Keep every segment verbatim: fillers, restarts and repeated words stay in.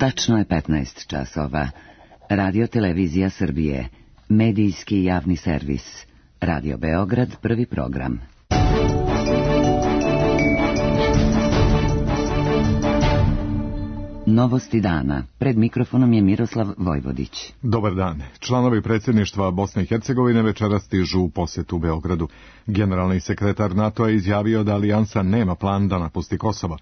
Tačno je petnaest časova. Radio Televizija Srbije. Medijski javni servis. Radio Beograd, prvi program. Novosti dana. Pred mikrofonom je Miroslav Vojvodić. Dobar dan. Članovi predsjedništva Bosne i Hercegovine večeras stižu u posjetu Beogradu. Generalni sekretar NATO je izjavio da alijansa nema plan da napusti Kosovo.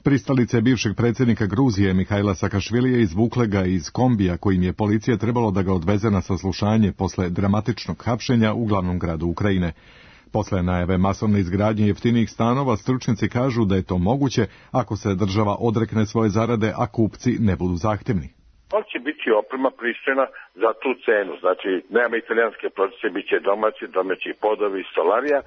Pristalice bivšeg predsjednika Gruzije Mihajla Sakašvilija izvukle ga iz kombija kojim je policija trebalo da ga odveze na saslušanje posle dramatičnog hapšenja u glavnom gradu Ukrajine. Posle najave masovne izgradnje jeftinijih stanova, stručnjaci kažu da je to moguće ako se država odrekne svoje zarade, a kupci ne budu zahtjevni. On će biti oprema pristojna za tu cenu, znači nema italijanske procese, bit će domaći, domaći podovi, solarija.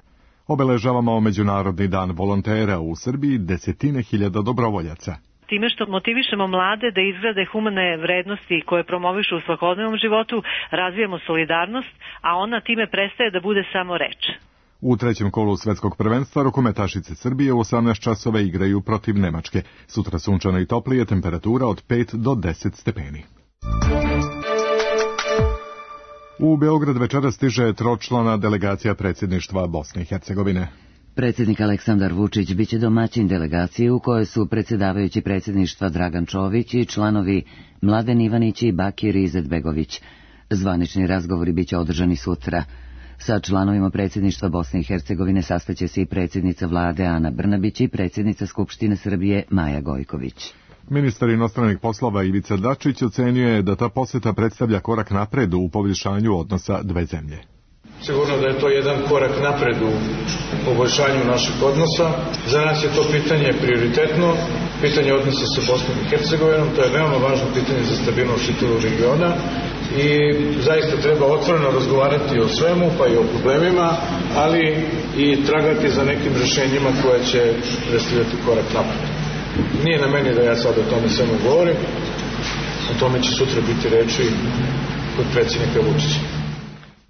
Obeležavamo Međunarodni dan volontera u Srbiji, desetine hiljada dobrovoljaca. Time što motivišemo mlade da izgrade humane vrednosti koje promovišu u svakodnevnom životu, razvijamo solidarnost, a ona time prestaje da bude samo reč. U trećem kolu svjetskog prvenstva rukometašice Srbije u osamnaest časova igraju protiv Nemačke. Sutra sunčano i toplije, temperatura od pet do deset stepeni. U Beograd večera stiže tročlana delegacija predsjedništva Bosne i Hercegovine. Predsjednik Aleksandar Vučić biće domaćin delegacije u kojoj su predsjedavajući predsjedništva Dragan Čović i članovi Mladen Ivanić i Bakir Izetbegović. Zvanični razgovori biće održani sutra. Sa članovima predsjedništva Bosne i Hercegovine sastaće se i predsjednica vlade Ana Brnabić i predsjednica Skupštine Srbije Maja Gojković. Ministar inostranih poslova Ivica Dačić ocenio je da ta posjeta predstavlja korak napred u poboljšanju odnosa dve zemlje. Sigurno da je to jedan korak napred u poboljšanju naših odnosa. Za nas je to pitanje prioritetno, pitanje odnosa sa Bosnom i Hercegovinom, to je veoma važno pitanje za stabilnost čitavog regiona i zaista treba otvoreno razgovarati o svemu, pa i o problemima, ali i tragati za nekim rješenjima koje će predstavljati korak napred. Nije na meni da ja sad o tome samo govorim, o tome će sutra biti reči kod predsjednika Vučića.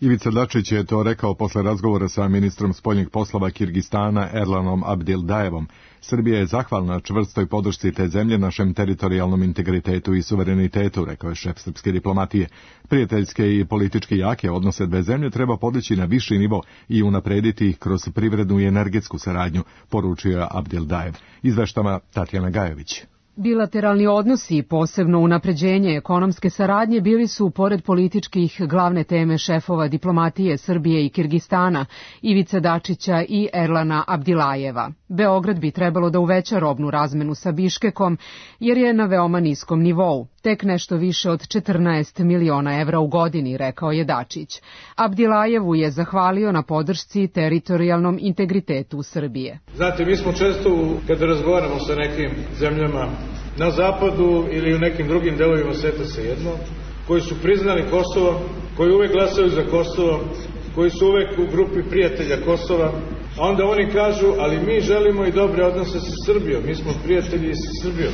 Ivica Dačić je to rekao posle razgovora sa ministrom spoljnih poslova Kirgistana Erlanom Abdildajevom. Srbija je zahvalna čvrstoj podršci te zemlje našem teritorijalnom integritetu i suverenitetu, rekao je šef srpske diplomatije. Prijateljske i politički jake odnose dve zemlje treba podići na viši nivo i unaprediti ih kroz privrednu i energetsku saradnju, poručio je Abdildajev. Izveštava Tatjana Gajović. Bilateralni odnosi, posebno unapređenje ekonomske saradnje, bili su, pored političkih, glavne teme šefova diplomatije Srbije i Kirgistana, Ivice Dačića i Erlana Abdilajeva. Beograd bi trebalo da uveća robnu razmenu sa Biškekom, jer je na veoma niskom nivou, tek nešto više od četrnaest miliona evra u godini, rekao je Dačić. Abdilajevu je zahvalio na podršci teritorijalnom integritetu Srbije. Znate, mi smo često, kada razgovaramo sa nekim zemljama na zapadu ili u nekim drugim delovima sveta svejedno, koji su priznali Kosovo, koji uvek glasaju za Kosovo, koji su uvek u grupi prijatelja Kosova, a onda oni kažu, ali mi želimo i dobre odnose sa Srbijom, mi smo prijatelji sa Srbijom.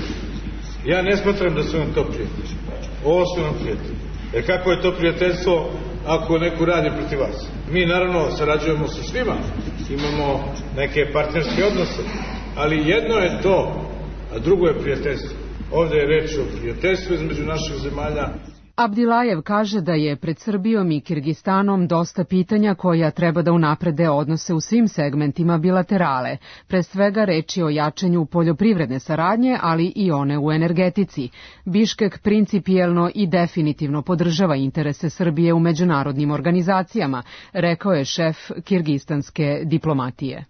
Ja ne smatram da su nam to prijatelji. Ovo su nam prijatelji. Jer kako je to prijateljstvo ako neko radi protiv vas? Mi naravno sarađujemo sa svima, imamo neke partnerske odnose, ali jedno je to, a drugo je prijateljstvo. Ovdje je reč o prijateljstvu između naših zemalja. Abdilajev kaže da je pred Srbijom i Kirgistanom dosta pitanja koja treba da unaprede odnose u svim segmentima bilaterale. Pre svega reč je o jačanju poljoprivredne saradnje, ali i one u energetici. Biškek principijelno i definitivno podržava interese Srbije u međunarodnim organizacijama, rekao je šef kirgistanske diplomatije.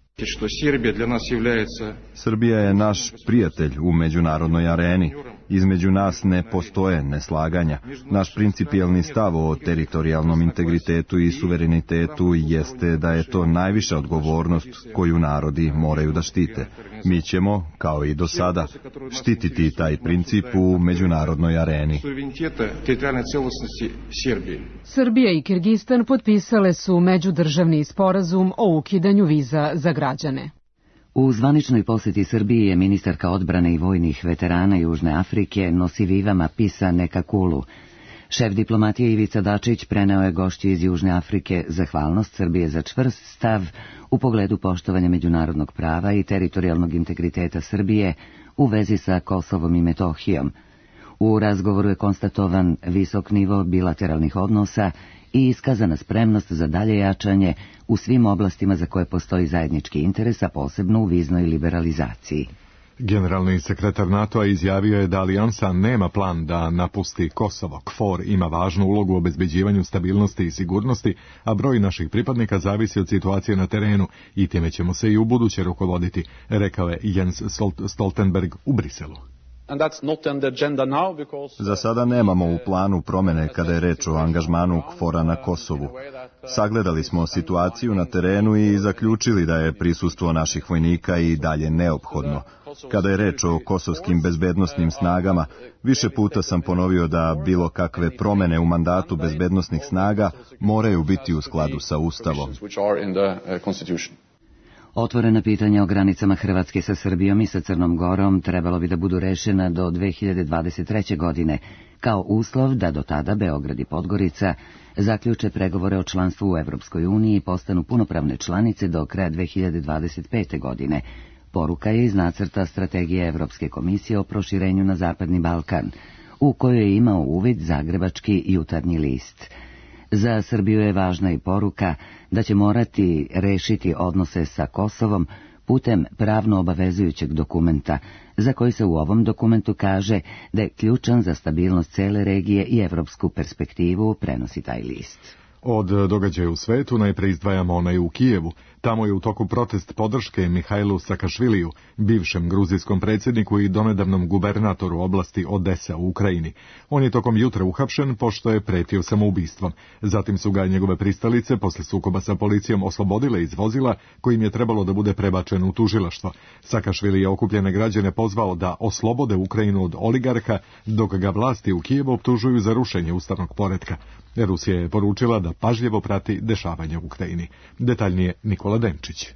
Srbija je naš prijatelj u međunarodnoj areni. Između nas ne postoje neslaganja. Naš principijelni stav o teritorijalnom integritetu i suverenitetu jeste da je to najviša odgovornost koju narodi moraju da štite. Mi ćemo, kao i do sada, štititi taj princip u međunarodnoj areni. Srbija i Kirgistan potpisale su međudržavni sporazum o ukidanju viza za građane. U zvaničnoj posjeti Srbiji je ministarka odbrane i vojnih veterana Južne Afrike Nosiviva Mapisa Nekakulu. Šef diplomatije Ivica Dačić preneo je gošći iz Južne Afrike zahvalnost Srbije za čvrst stav u pogledu poštovanja međunarodnog prava i teritorijalnog integriteta Srbije u vezi sa Kosovom i Metohijom. U razgovoru je konstatovan visok nivo bilateralnih odnosa i iskazana spremnost za dalje jačanje u svim oblastima za koje postoji zajednički interes, a posebno u viznoj liberalizaciji. Generalni sekretar NATO-a izjavio je da alijansa nema plan da napusti Kosovo. KFOR ima važnu ulogu u obezbeđivanju stabilnosti i sigurnosti, a broj naših pripadnika zavisi od situacije na terenu i time ćemo se i u buduće rukovoditi, rekao je Jens Stoltenberg u Briselu. Za sada nemamo u planu promene kada je reč o angažmanu KFOR-a na Kosovu. Sagledali smo situaciju na terenu i zaključili da je prisustvo naših vojnika i dalje neophodno. Kada je reč o kosovskim bezbednosnim snagama, više puta sam ponovio da bilo kakve promene u mandatu bezbednosnih snaga moraju biti u skladu sa Ustavom. Otvorena pitanja o granicama Hrvatske sa Srbijom i sa Crnom Gorom trebalo bi da budu rešena do dve hiljade dvadeset treće. godine, kao uslov da do tada Beograd i Podgorica zaključe pregovore o članstvu u Evropskoj uniji i postanu punopravne članice do kraja dve hiljade dvadeset pete. godine. Poruka je iz nacrta strategije Evropske komisije o proširenju na Zapadni Balkan, u kojoj je imao uvid zagrebački Jutarnji list. Za Srbiju je važna i poruka da će morati rešiti odnose sa Kosovom putem pravno obavezujućeg dokumenta, za koji se u ovom dokumentu kaže da je ključan za stabilnost cele regije i evropsku perspektivu, prenosi taj list. Od događaja u svetu najpre izdvajamo onaj u Kijevu. Tamo je u toku protest podrške Mihajlu Sakašviliju, bivšem gruzijskom predsjedniku i donedavnom gubernatoru oblasti Odesa u Ukrajini. On je tokom jutra uhapšen pošto je pretio samoubistvom. Zatim su ga njegove pristalice posle sukoba sa policijom oslobodile iz vozila kojim je trebalo da bude prebačen u tužilaštvo. Sakašvili je okupljene građane pozvao da oslobode Ukrajinu od oligarha, dok ga vlasti u Kijevu optužuju za rušenje ustavnog poretka. Rusija je poručila da pažljivo prati dešavanja u Ukrajini. Detaljnije Nikola Denčić.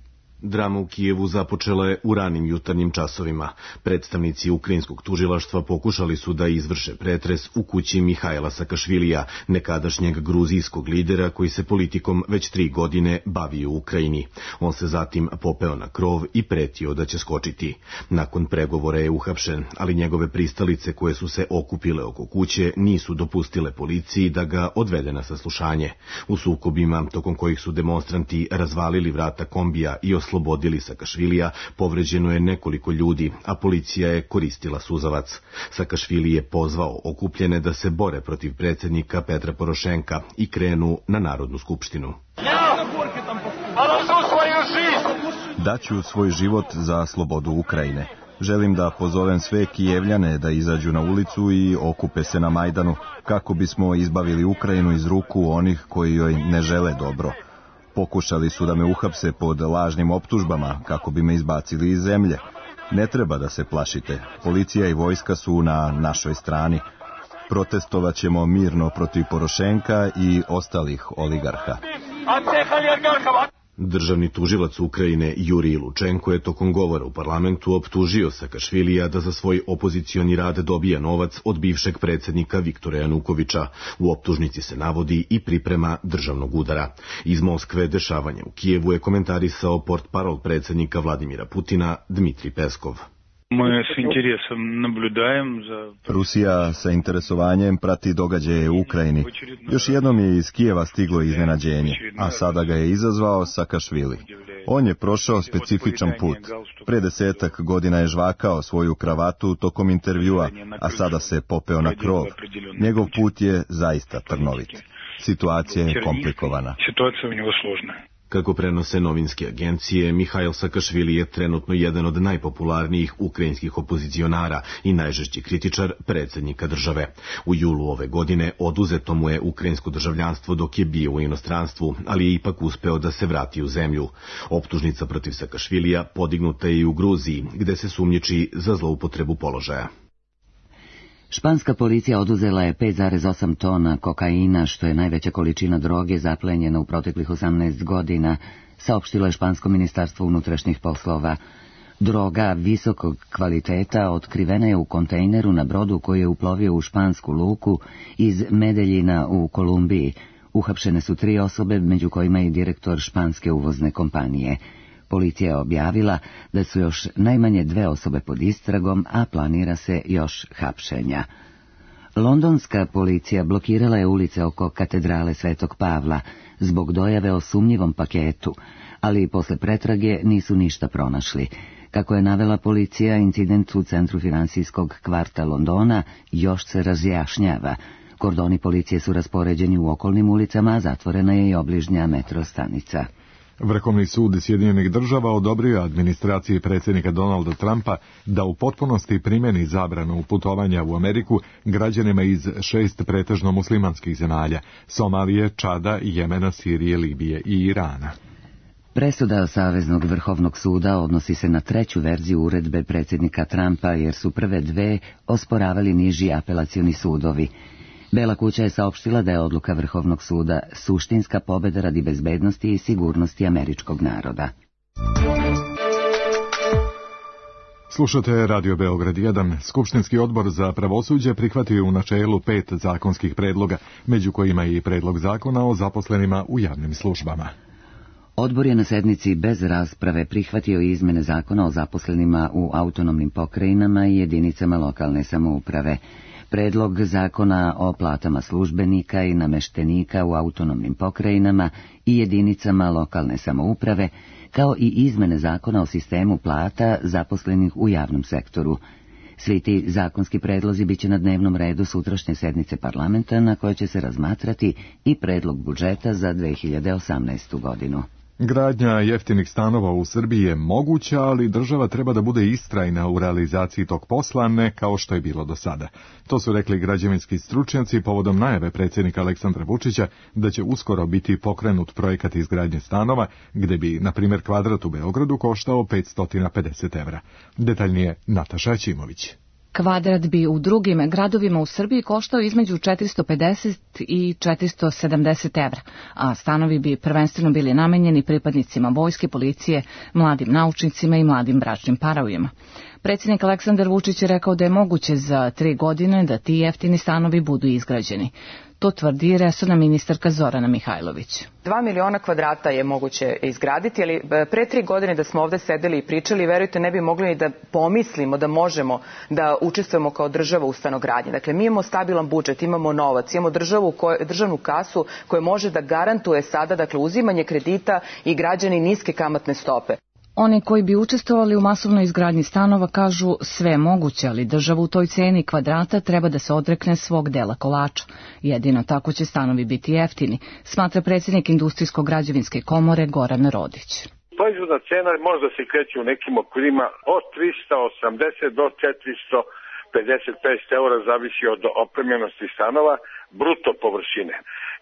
Drama u Kijevu započela je u ranim jutarnjim časovima. Predstavnici ukrajinskog tužilaštva pokušali su da izvrše pretres u kući Mihajla Sakašvilija, nekadašnjeg gruzijskog lidera koji se politikom već tri godine bavi u Ukrajini. On se zatim popeo na krov i pretio da će skočiti. Nakon pregovora je uhapšen, ali njegove pristalice koje su se okupile oko kuće nisu dopustile policiji da ga odvede na saslušanje. U sukobima, tokom kojih su demonstranti razvalili vrata kombija i oslobodili Sakašvilija, povređeno je nekoliko ljudi, a policija je koristila suzavac. Sakašvili je pozvao okupljene da se bore protiv predsjednika Petra Porošenka i krenu na Narodnu skupštinu. Daću svoj život za slobodu Ukrajine. Želim da pozovem sve Kijevljane da izađu na ulicu i okupe se na Majdanu kako bismo izbavili Ukrajinu iz ruku onih koji joj ne žele dobro. Pokušali su da me uhapse pod lažnim optužbama kako bi me izbacili iz zemlje. Ne treba da se plašite. Policija i vojska su na našoj strani. Protestovat ćemo mirno protiv Porošenka i ostalih oligarha. Državni tužilac Ukrajine Jurij Lučenko je tokom govora u parlamentu optužio Sakašvilija da za svoj opozicioni rad dobija novac od bivšeg predsjednika Viktora Janukovića. U optužnici se navodi i priprema državnog udara. Iz Moskve dešavanje u Kijevu je komentarisao portparol predsjednika Vladimira Putina Dmitrij Peskov. Rusija sa interesovanjem prati događaje u Ukrajini. Još jednom je iz Kijeva stiglo iznenađenje, a sada ga je izazvao Sakašvili. On je prošao specifičan put. Pre desetak godina je žvakao svoju kravatu tokom intervjua, a sada se popeo na krov. Njegov put je zaista trnovit. Situacija je komplikovana. Kako prenose novinske agencije, Mihajl Sakašvili je trenutno jedan od najpopularnijih ukrajinskih opozicionara i najžešći kritičar predsjednika države. U julu ove godine oduzeto mu je ukrajinsko državljanstvo dok je bio u inostranstvu, ali je ipak uspeo da se vrati u zemlju. Optužnica protiv Sakašvilija podignuta je i u Gruziji, gde se sumnjiči za zloupotrebu položaja. Španska policija oduzela je pet zarez osam tona kokaina, što je najveća količina droge zaplenjena u proteklih osamnaest godina, saopštilo je Špansko ministarstvo unutrašnjih poslova. Droga visokog kvaliteta otkrivena je u kontejneru na brodu koji je uplovio u špansku luku iz Medeljina u Kolumbiji. Uhapšene su tri osobe, među kojima i direktor španske uvozne kompanije. Policija je objavila da su još najmanje dve osobe pod istragom, a planira se još hapšenja. Londonska policija blokirala je ulice oko katedrale Svetog Pavla zbog dojave o sumnjivom paketu, ali posle pretrage nisu ništa pronašli. Kako je navela policija, incident u centru finansijskog kvarta Londona još se razjašnjava. Kordoni policije su raspoređeni u okolnim ulicama, a zatvorena je i obližnja metro stanica. Vrhovni sud Sjedinjenih država odobrio administraciji predsjednika Donalda Trumpa da u potpunosti primjeni zabranu putovanja u Ameriku građanima iz šest pretežno muslimanskih zemalja: Somalije, Čada, Jemena, Sirije, Libije i Irana. Presuda Saveznog vrhovnog suda odnosi se na treću verziju uredbe predsjednika Trumpa, jer su prve dve osporavali niži apelacioni sudovi. Bela kuća je saopštila da je odluka Vrhovnog suda suštinska pobjeda radi bezbednosti i sigurnosti američkog naroda. Slušate Radio Beograd jedan. Skupštinski odbor za pravosuđe prihvatio u načelu pet zakonskih predloga, među kojima i predlog zakona o zaposlenima u javnim službama. Odbor je na sednici bez rasprave prihvatio izmene zakona o zaposlenima u autonomnim pokrajinama i jedinicama lokalne samouprave. Predlog zakona o platama službenika i nameštenika u autonomnim pokrajinama i jedinicama lokalne samouprave, kao i izmene zakona o sistemu plata zaposlenih u javnom sektoru. Svi ti zakonski predlozi biće na dnevnom redu sutrašnje sednice parlamenta, na kojoj će se razmatrati i predlog budžeta za dve hiljade osamnaestu godinu. Gradnja jeftinih stanova u Srbiji je moguća, ali država treba da bude istrajna u realizaciji tog posla, ne kao što je bilo do sada. To su rekli građevinski stručnjaci povodom najave predsjednika Aleksandra Vučića da će uskoro biti pokrenut projekat izgradnje stanova, gde bi, na primjer, kvadrat u Beogradu koštao petsto pedeset evra. Detaljnije Nataša Ćimović. Kvadrat bi u drugim gradovima u Srbiji koštao između četiristo pedeset i četiristo sedamdeset evra, a stanovi bi prvenstveno bili namenjeni pripadnicima vojske, policije, mladim naučnicima i mladim bračnim parovima. Predsjednik Aleksandar Vučić je rekao da je moguće za tri godine da ti jeftini stanovi budu izgrađeni. To tvrdi resorna ministarka Zorana Mihajlović. Dva miliona kvadrata je moguće izgraditi, ali pre tri godine da smo ovde sedeli i pričali, verujte, ne bi mogli ni da pomislimo da možemo da učestvujemo kao država u stanogradnji. Dakle, mi imamo stabilan budžet, imamo novac, imamo državu, državnu kasu koja može da garantuje sada, dakle, uzimanje kredita i građani niske kamatne stope. Oni koji bi učestvovali u masovnoj izgradnji stanova kažu sve moguće, ali država u toj ceni kvadrata treba da se odrekne svog dela kolača. Jedino tako će stanovi biti jeftini, smatra predsjednik Industrijsko-građevinske komore Goran Rodić. Proizvodna cena možda se kreće u nekim okvirima od trista osamdeset do četiristo pedeset pet eura, zavisi od opremljenosti stanova, bruto površine.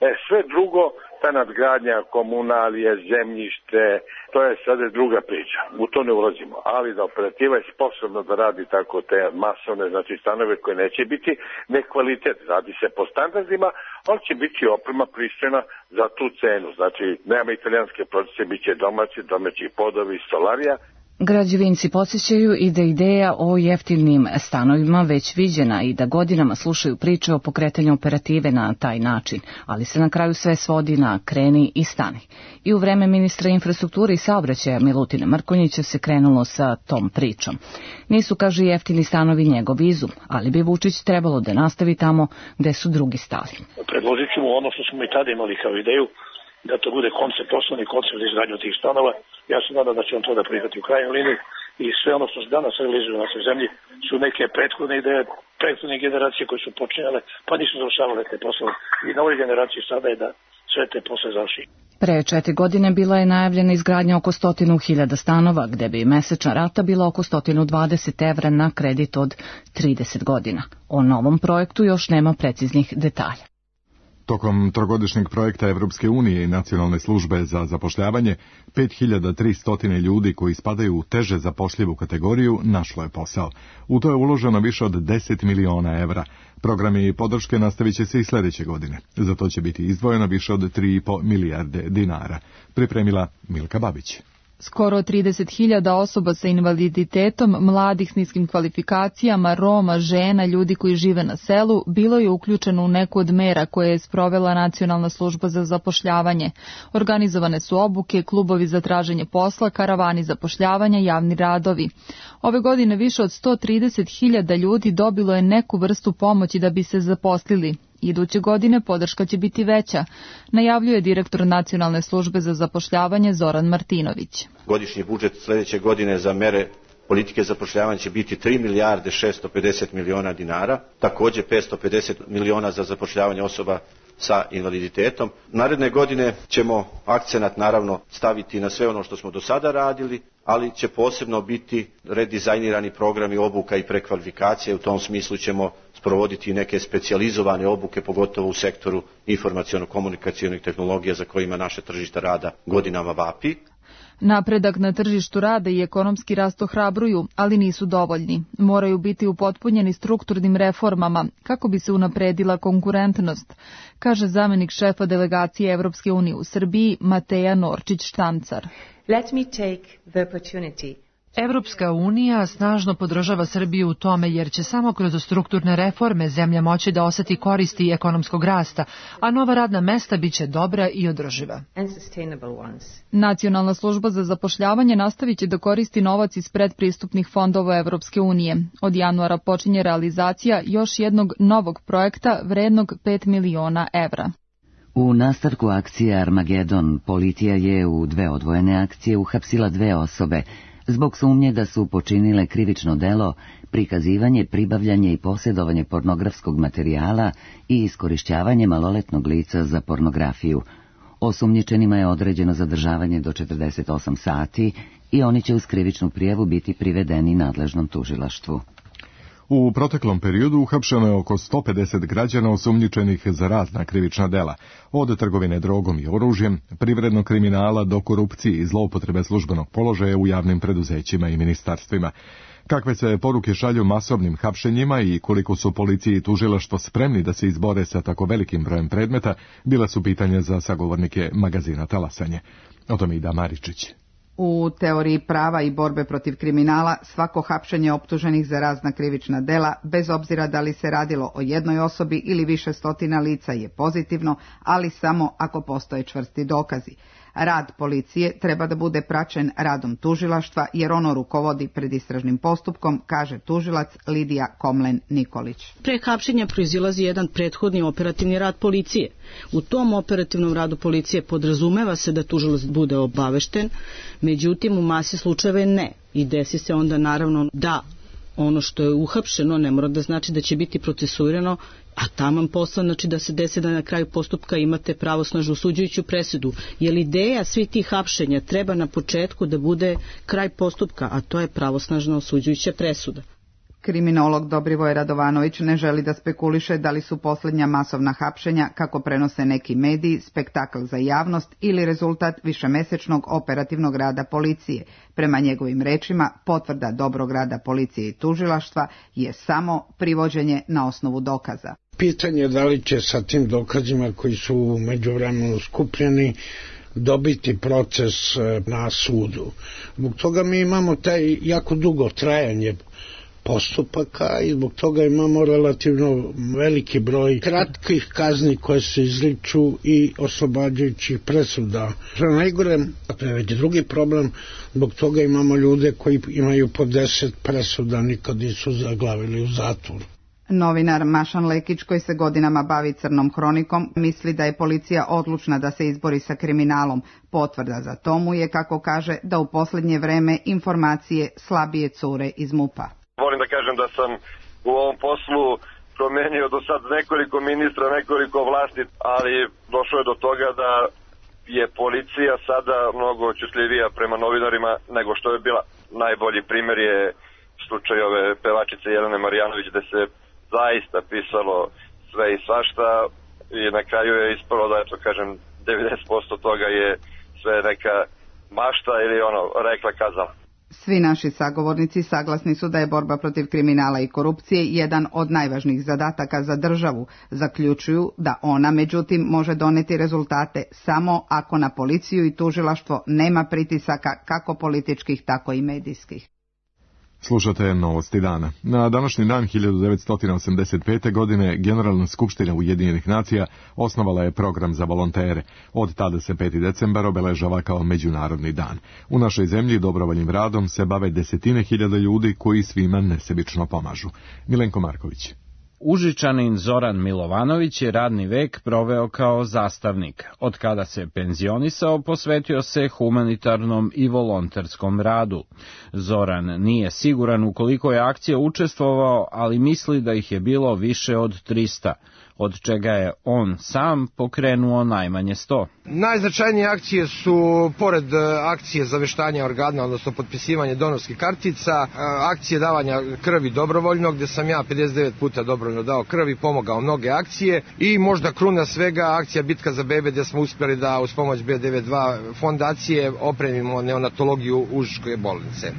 E, sve drugo, ta nadgradnja, komunalije, zemljište, to je sada druga priča. U to ne ulazimo. Ali da operativa je sposobna da radi tako te masovne, znači stanove koje neće biti nekvalitet, radi se po standardima, ali će biti oprema pristojna za tu cenu. Znači, nema italijanske procese, bit će domaći, domaći podovi, solarija. Građevinci podsjećaju i da ideja o jeftinim stanovima već viđena i da godinama slušaju priče o pokretanju operative na taj način, ali se na kraju sve svodi na kreni i stani. I u vreme ministra infrastrukture i saobraćaja Milutina Mrkonjića se krenulo sa tom pričom. Nisu, kaže, jeftini stanovi njegov izum, ali bi Vučić trebalo da nastavi tamo gde su drugi stali. Predložit ćemo ono što smo i tada imali kao ideju, da to bude koncept, osnovni koncept za izgradnju tih stanova. Ja se nadam da će on to da prihvati u krajnjoj liniji i sve ono što se danas realizuje u našoj zemlji su neke prethodne ideje, prethodne generacije koje su počinjale, pa nisu završavale te poslove. I na ovoj generaciji sada je da sve te posle završi. Pre četiri godine bila je najavljena izgradnja oko stotinu hiljada stanova, gde bi mesečna rata bila oko sto dvadeset evra na kredit od trideset godina. O novom projektu još nema preciznih detalja. Tokom trogodišnjeg projekta Evropske unije i Nacionalne službe za zapošljavanje, pet hiljada tristo ljudi koji spadaju u teže zapošljivu kategoriju našlo je posao. U to je uloženo više od deset miliona evra. Programi podrške nastavit će se i sljedeće godine. Za to će biti izdvojeno više od tri i po milijarde dinara. Pripremila Milka Babić. Skoro trideset hiljada osoba sa invaliditetom, mladih s niskim kvalifikacijama, Roma, žena, ljudi koji žive na selu, bilo je uključeno u neku od mera koje je sprovela Nacionalna služba za zapošljavanje. Organizovane su obuke, klubovi za traženje posla, karavani zapošljavanja, javni radovi. Ove godine više od sto trideset hiljada ljudi dobilo je neku vrstu pomoći da bi se zaposlili. Iduće godine podrška će biti veća, najavljuje direktor Nacionalne službe za zapošljavanje Zoran Martinović. Godišnji budžet sljedeće godine za mere politike zapošljavanja će biti tri milijarde šesto pedeset miliona dinara, također petsto pedeset miliona za zapošljavanje osoba sa invaliditetom. Naredne godine ćemo akcenat naravno staviti na sve ono što smo do sada radili, ali će posebno biti redizajnirani programi obuka i prekvalifikacije. U tom smislu ćemo sprovoditi neke specijalizovane obuke, pogotovo u sektoru informaciono-komunikacionih tehnologija za kojima naše tržište rada godinama vapi. Napredak na tržištu rada i ekonomski rast ohrabruju, ali nisu dovoljni. Moraju biti upotpunjeni strukturnim reformama kako bi se unapredila konkurentnost, kaže zamenik šefa delegacije Evropske unije u Srbiji Mateja Norčić-Štancar. Let me take the opportunity. Evropska unija snažno podržava Srbiju u tome jer će samo kroz strukturne reforme zemlja moći da oseti koristi ekonomskog rasta, a nova radna mesta biće dobra i održiva. Nacionalna služba za zapošljavanje nastavit će da koristi novac iz predpristupnih fondova Evropske unije. Od januara počinje realizacija još jednog novog projekta vrednog pet miliona evra. U nastavku akcije Armagedon policija je u dve odvojene akcije uhapsila dve osobe zbog sumnje da su počinile krivično delo, prikazivanje, pribavljanje i posjedovanje pornografskog materijala i iskorišćavanje maloletnog lica za pornografiju. Osumnjičenima je određeno zadržavanje do četrdeset osam sati i oni će uz krivičnu prijavu biti privedeni nadležnom tužilaštvu. U proteklom periodu uhapšeno je oko sto pedeset građana osumnjičenih za razna krivična dela, od trgovine drogom i oružjem, privrednog kriminala do korupcije i zloupotrebe službenog položaja u javnim preduzećima i ministarstvima. Kakve se poruke šalju masovnim hapšenjima i koliko su policije i tužilaštvo spremni da se izbore sa tako velikim brojem predmeta, bila su pitanja za sagovornike magazina Talasanje. O tome i da Maričić. U teoriji prava i borbe protiv kriminala svako hapšenje optuženih za razna krivična dela, bez obzira da li se radilo o jednoj osobi ili više stotina lica, je pozitivno, ali samo ako postoje čvrsti dokazi. Rad policije treba da bude praćen radom tužilaštva, jer ono rukovodi predistražnim postupkom, kaže tužilac Lidija Komlen-Nikolić. Pre hapšenja proizilazi jedan prethodni operativni rad policije. U tom operativnom radu policije podrazumeva se da tužilac bude obavešten, međutim u masi slučajeva ne. I desi se onda naravno da ono što je uhapšeno ne mora da znači da će biti procesuirano, a taman posao znači da se desi da na kraju postupka imate pravosnažnu osuđujuću presudu. Jer ideja svih tih hapšenja treba na početku da bude kraj postupka, a to je pravosnažna osuđujuća presuda. Kriminolog Dobrivoj Radovanović ne želi da spekuliše da li su posljednja masovna hapšenja, kako prenose neki mediji, spektakl za javnost ili rezultat višemesečnog operativnog rada policije. Prema njegovim rečima, potvrda dobrog rada policije i tužilaštva je samo privođenje na osnovu dokaza. Pitanje je da li će sa tim dokazima koji su u međuvremenu skupljeni dobiti proces na sudu. Zbog toga mi imamo taj jako dugo trajanje postupaka i zbog toga imamo relativno veliki broj kratkih kazni koje se izriču i oslobađajućih presuda. Što je najgore, to je već drugi problem, zbog toga imamo ljude koji imaju po deset presuda, nikad nisu zaglavili u zatvor. Novinar Mašan Lekić, koji se godinama bavi crnom hronikom, misli da je policija odlučna da se izbori sa kriminalom. Potvrda za tomu je, kako kaže, da u posljednje vreme informacije slabije cure iz MUP-a. Volim da kažem da sam u ovom poslu promenio do sad nekoliko ministra, nekoliko vlasti, ali došlo je do toga da je policija sada mnogo očusljivija prema novinarima nego što je bila. Najbolji primjer je slučaj ove pevačice Jelene Marjanović, gde se zaista pisalo sve i svašta i na kraju je ispalo da, eto kažem, devedeset posto toga je sve neka mašta ili ono, rekla kazala. Svi naši sagovornici saglasni su da je borba protiv kriminala i korupcije jedan od najvažnijih zadataka za državu. Zaključuju da ona, međutim, može doneti rezultate samo ako na policiju i tužilaštvo nema pritisaka kako političkih, tako i medijskih. Slušate Novosti dana. Na današnji dan hiljadu devetsto osamdeset pete. godine Generalna skupština Ujedinjenih nacija osnovala je program za volontere. Od tada se peti decembar obeležava kao međunarodni dan. U našoj zemlji dobrovoljnim radom se bave desetine hiljada ljudi koji svima nesebično pomažu. Milenko Marković. Užičanin Zoran Milovanović je radni vek proveo kao zastavnik. Od kada se penzionisao, posvetio se humanitarnom i volonterskom radu. Zoran nije siguran u koliko je akcija učestvovao, ali misli da ih je bilo više od trista, od čega je on sam pokrenuo najmanje sto. Najznačajnije akcije su, pored akcije zaveštanja organa, odnosno potpisivanje donorskih kartica, akcije davanja krvi dobrovoljno, gdje sam ja pedeset devet puta dobrovoljno dao krvi, pomogao mnoge akcije, i možda kruna svega akcija Bitka za bebe, gdje smo uspjeli da uz pomoć B devedeset dva fondacije opremimo neonatologiju Užičke bolnice.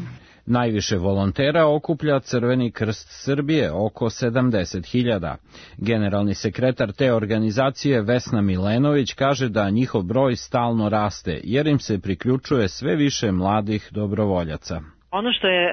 Najviše volontera okuplja Crveni krst Srbije, oko sedamdeset hiljada. Generalni sekretar te organizacije Vesna Milenović kaže da njihov broj stalno raste, jer im se priključuje sve više mladih dobrovoljaca. Ono što je e,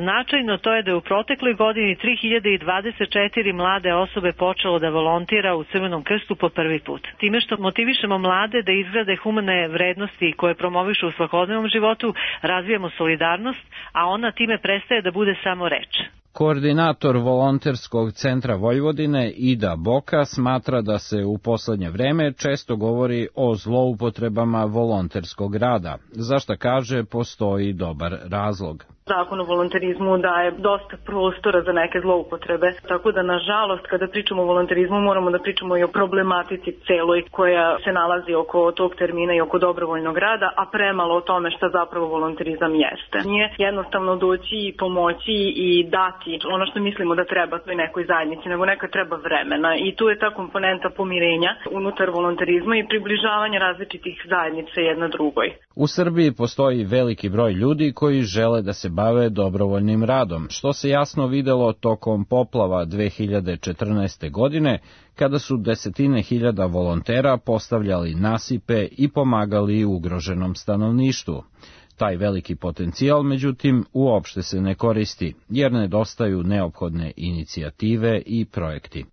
značajno, to je da je u protekloj godini tri hiljade dvadeset četiri mlade osobe počelo da volontira u Crvenom krstu po prvi put. Time što motivišemo mlade da izgrade humane vrednosti koje promovišu u svakodnevnom životu, razvijamo solidarnost, a ona time prestaje da bude samo reč. Koordinator volonterskog centra Vojvodine Ida Boka smatra da se u poslednje vreme često govori o zloupotrebama volonterskog rada, za šta kaže postoji dobar razlog. Zakon o volonterizmu daje dosta prostora za neke zloupotrebe, tako da nažalost kada pričamo o volonterizmu moramo da pričamo i o problematici celoj koja se nalazi oko tog termina i oko dobrovoljnog rada, a premalo o tome šta zapravo volonterizam jeste. Nije jednostavno doći i pomoći i dati ono što mislimo da treba toj nekoj zajednici, nego nekad treba vremena, i tu je ta komponenta pomirenja unutar volonterizma i približavanja različitih zajednica jedna drugoj. U Srbiji postoji veliki broj ljudi koji žele da se bave dobrovoljnim radom, što se jasno videlo tokom poplava dve hiljade četrnaeste. godine, kada su desetine hiljada volontera postavljali nasipe i pomagali ugroženom stanovništvu. Taj veliki potencijal, međutim, uopšte se ne koristi, jer nedostaju neophodne inicijative i projekti.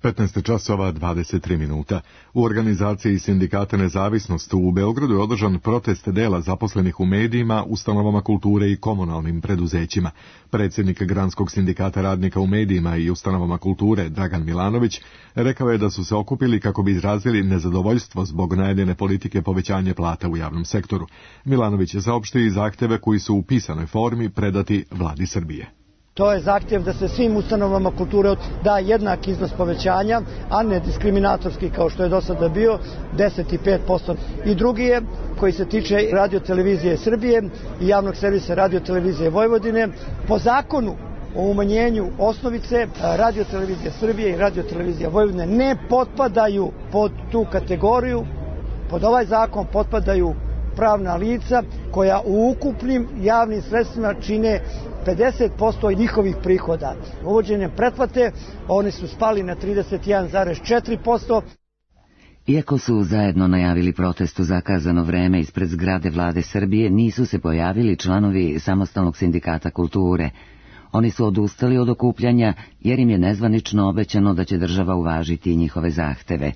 petnaest časova dvadeset tri minuta. U organizaciji Sindikata Nezavisnost u Beogradu je održan protest dela zaposlenih u medijima, ustanovama kulture i komunalnim preduzećima. Predsjednik Granskog sindikata radnika u medijima i ustanovama kulture, Dragan Milanović, rekao je da su se okupili kako bi izrazili nezadovoljstvo zbog najavljene politike povećanja plata u javnom sektoru. Milanović je saopštio i zahteve koji su u pisanoj formi predati vladi Srbije. To je zahtjev da se svim ustanovama kulture da jednak iznos povećanja, a ne diskriminatorski kao što je do sada bio, deset i pet posto. I drugi je, koji se tiče Radio-televizije Srbije i javnog servisa Radio-televizije Vojvodine, po zakonu o umanjenju osnovice Radio-televizija Srbije i Radio-televizija Vojvodine ne potpadaju pod tu kategoriju, pod ovaj zakon potpadaju pravna lica koja u ukupnim javnim sredstvima čine pedeset posto njihovih prihoda. Uvođenjem pretplate oni su spali na trideset jedan zarez četiri posto. Iako su zajedno najavili protest u zakazano vreme ispred zgrade vlade Srbije, nisu se pojavili članovi Samostalnog sindikata kulture. Oni su odustali od okupljanja jer im je nezvanično obećano da će država uvažiti njihove zahteve.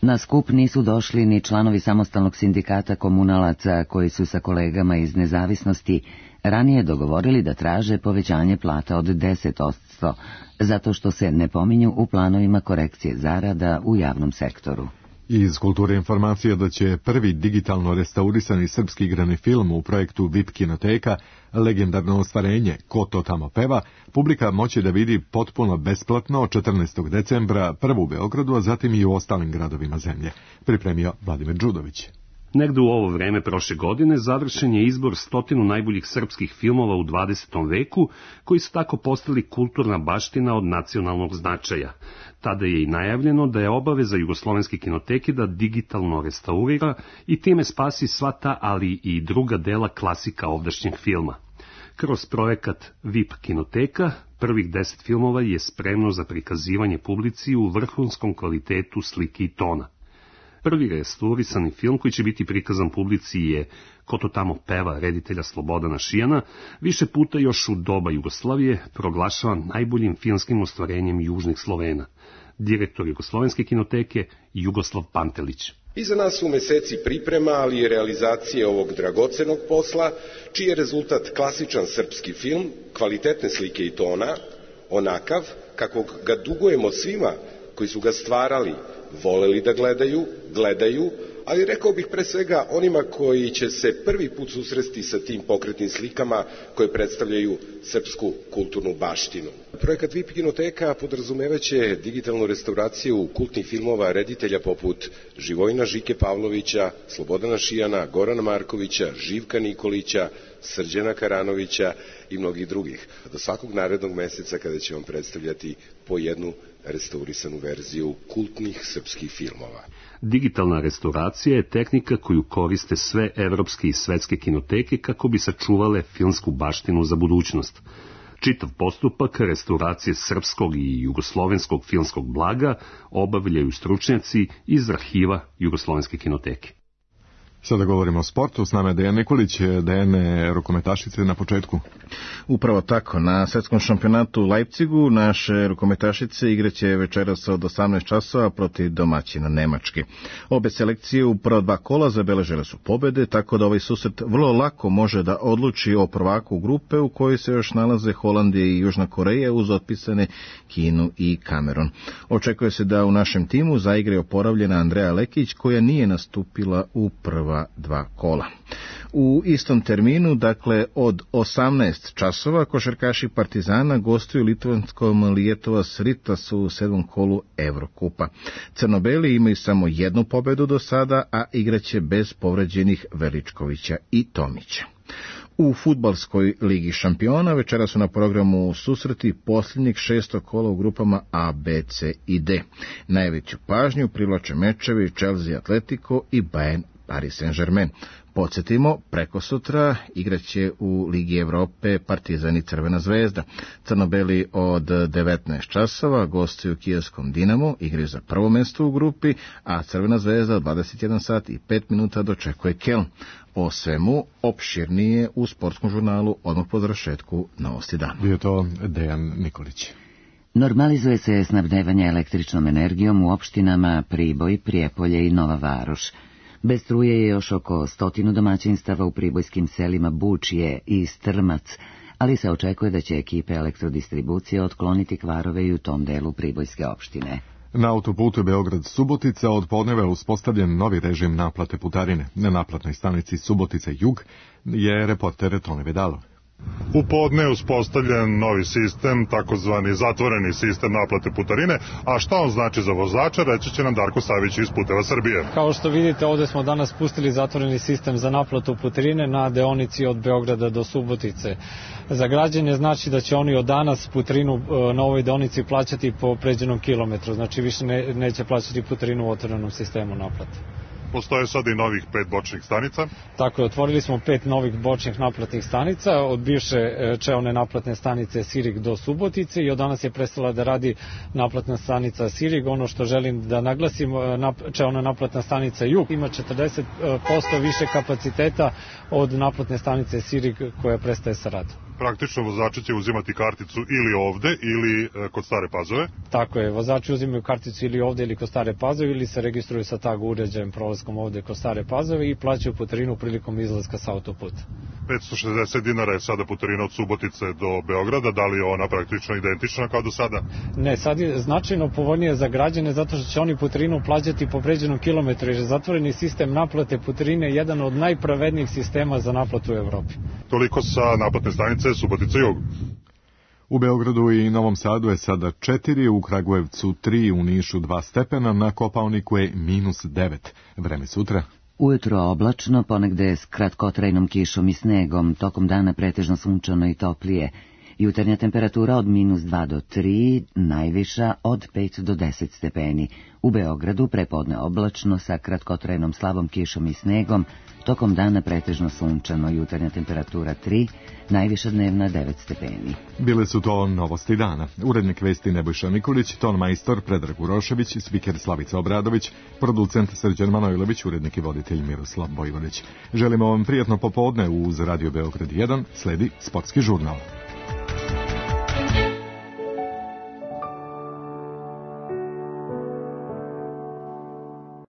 Na skup nisu došli ni članovi Samostalnog sindikata komunalaca koji su sa kolegama iz Nezavisnosti ranije dogovorili da traže povećanje plata od deset posto, zato što se ne pominju u planovima korekcije zarada u javnom sektoru. Iz kulture informacija da će prvi digitalno restaurisani srpski igrani film u projektu V I P kinoteka, legendarno ostvarenje Ko to tamo peva, publika moći da vidi potpuno besplatno četrnaestog decembra prvo u Beogradu, a zatim i u ostalim gradovima zemlje. Pripremio Vladimir Đudović. Negde u ovo vreme prošle godine završen je izbor stotinu najboljih srpskih filmova u dvadesetom veku, koji su tako postali kulturna baština od nacionalnog značaja. Tada je i najavljeno da je obaveza Jugoslovenske kinoteke da digitalno restaurira i time spasi sva ta, ali i druga dela klasika ovdašnjeg filma. Kroz projekat V I P kinoteka, prvih deset filmova je spremno za prikazivanje publici u vrhunskom kvalitetu slike i tona. Prvi restaurisani film koji će biti prikazan publici je Ko to tamo peva reditelja Slobodana Šijana, više puta još u doba Jugoslavije proglašavan najboljim filmskim ostvarenjem južnih Slovena. Direktor Jugoslovenske kinoteke Jugoslav Pantelić. Iza nas su meseci priprema, ali i realizacije ovog dragocenog posla, čiji je rezultat klasičan srpski film, kvalitetne slike i tona, onakav kakvog ga dugujemo svima koji su ga stvarali, voleli da gledaju, gledaju, ali rekao bih pre svega onima koji će se prvi put susresti sa tim pokretnim slikama koje predstavljaju srpsku kulturnu baštinu. Projekat V I P kinoteka podrazumevaće digitalnu restauraciju kultnih filmova reditelja poput Živojina Žike Pavlovića, Slobodana Šijana, Gorana Markovića, Živka Nikolića, Srđana Karanovića i mnogih drugih. Do svakog narednog meseca kada će vam predstavljati po jednu restaurisanu verziju kultnih srpskih filmova. Digitalna restauracija je tehnika koju koriste sve evropske i svetske kinoteke kako bi sačuvale filmsku baštinu za budućnost. Čitav postupak restauracije srpskog i jugoslovenskog filmskog blaga obavljaju stručnjaci iz arhiva Jugoslovenske kinoteke. Sada govorimo o sportu, s nama je Dejan Nikolić. Dejane, rukometašice na početku. Upravo tako, na svetskom šampionatu u Leipzigu naše rukometašice igraće večeras od osamnaest časova protiv domaćina Nemačke. Obe selekcije u prva dva kola zabeležile su pobede, tako da ovaj susret vrlo lako može da odluči o prvaku grupe u kojoj se još nalaze Holandija i Južna Koreja uz otpisane Kinu i Kamerun. Očekuje se da u našem timu zaigra oporavljena Andreja Lekić, koja nije nastupila u prva dva kola. U istom terminu, dakle od osamnaest časova, košarkaši Partizana gostuju litvanskom Lietuvos Rytas u sedmom kolu Evrokupa. Crnobeli imaju samo jednu pobedu do sada, a igraće bez povređenih Veličkovića i Tomića. U fudbalskoj ligi šampiona večera su na programu susreti posljednjeg šestog kola u grupama A, B, C i D. Najveću pažnju privlače mečevi Chelsea Atletico i Bayern Paris Saint-Germain. Podsjetimo, preko sutra igraće u Ligi Evrope Partizan i Crvena zvezda. Crnobeli od devetnaest časova gostuju kijevskom Dinamu, igraju za prvo mesto u grupi, a Crvena zvezda od dvadeset jedan sat i pet minuta dočekuje Keln. O svemu opširnije u sportskom žurnalu odmah po završetku Novosti dana. Bio to Dejan Nikolić. Normalizuje se snabdevanje električnom energijom u opštinama Priboj, Prijepolje i Nova Varoš. Bez struje je još oko stotinu domaćinstava u pribojskim selima Bučje i Strmac, ali se očekuje da će ekipe elektrodistribucije otkloniti kvarove i u tom delu pribojske opštine. Na autoputu Beograd-Subotica od podneva je uspostavljen novi režim naplate putarine. Na naplatnoj stanici Subotica Jug je reporter Tone Vedalov. U podne je uspostavljen novi sistem, takozvani zatvoreni sistem naplate putarine, a šta on znači za vozača, reći će nam Darko Savić iz Puteva Srbije. Kao što vidite, ovde smo danas pustili zatvoreni sistem za naplatu putarine na deonici od Beograda do Subotice. Za građane znači da će oni od danas putarinu na ovoj deonici plaćati po pređenom kilometru, znači više ne, neće plaćati putarinu u otvorenom sistemu naplate. Postoje sada i novih pet bočnih stanica. Tako je, otvorili smo pet novih bočnih naplatnih stanica, od bivše čeone naplatne stanice Sirig do Subotice i od danas je prestala da radi naplatna stanica Sirig. Ono što želim da naglasim, čeona naplatna stanica Jug ima četrdeset posto više kapaciteta od naplatne stanice Sirig koja prestaje sa radom. Praktično vozači će uzimati karticu ili ovde ili kod Stare Pazove. Tako je, vozači uzimaju karticu ili ovde ili kod Stare Pazove ili se registruju sa tag uređajem prolaskom ovde kod Stare Pazove i plaćaju putarinu prilikom izlaska sa autoputa. petsto šezdeset dinara je sada putarina od Subotice do Beograda, da li je ona praktično identična kao do sada? Ne, sad je značajno povoljnije za građane zato što će oni putarinu plaćati po pređenom kilometru jer je zatvoreni sistem naplate putarine jedan od najpravednijih sistema za naplatu u Evropi. Toliko sa naplatne stanice Subotica Jug. U Beogradu i Novom Sadu je sada četiri, u Kragujevcu tri, u Nišu dva stepena, na Kopaoniku je minus devet. Vreme sutra. Ujutro oblačno, ponegde s kratkotrajnom kišom i snegom, tokom dana pretežno sunčano i toplije. Jutarnja temperatura od minus dva do tri, najviša od pet do deset stepeni. U Beogradu prepodne oblačno sa kratkotrajnom slabom kišom i snegom, tokom dana pretežno sunčano, jutarnja temperatura tri, najviša dnevna devet stepeni. Bile su to novosti dana. Urednik vesti Nebojša Mikulić, ton majstor Predrag Urošević, spiker Slavica Obradović, producent Srđan Manojlović, urednik i voditelj Miroslav Bojvodić. Želimo vam prijatno popodne uz Radio Beograd jedan, sledi sportski žurnal.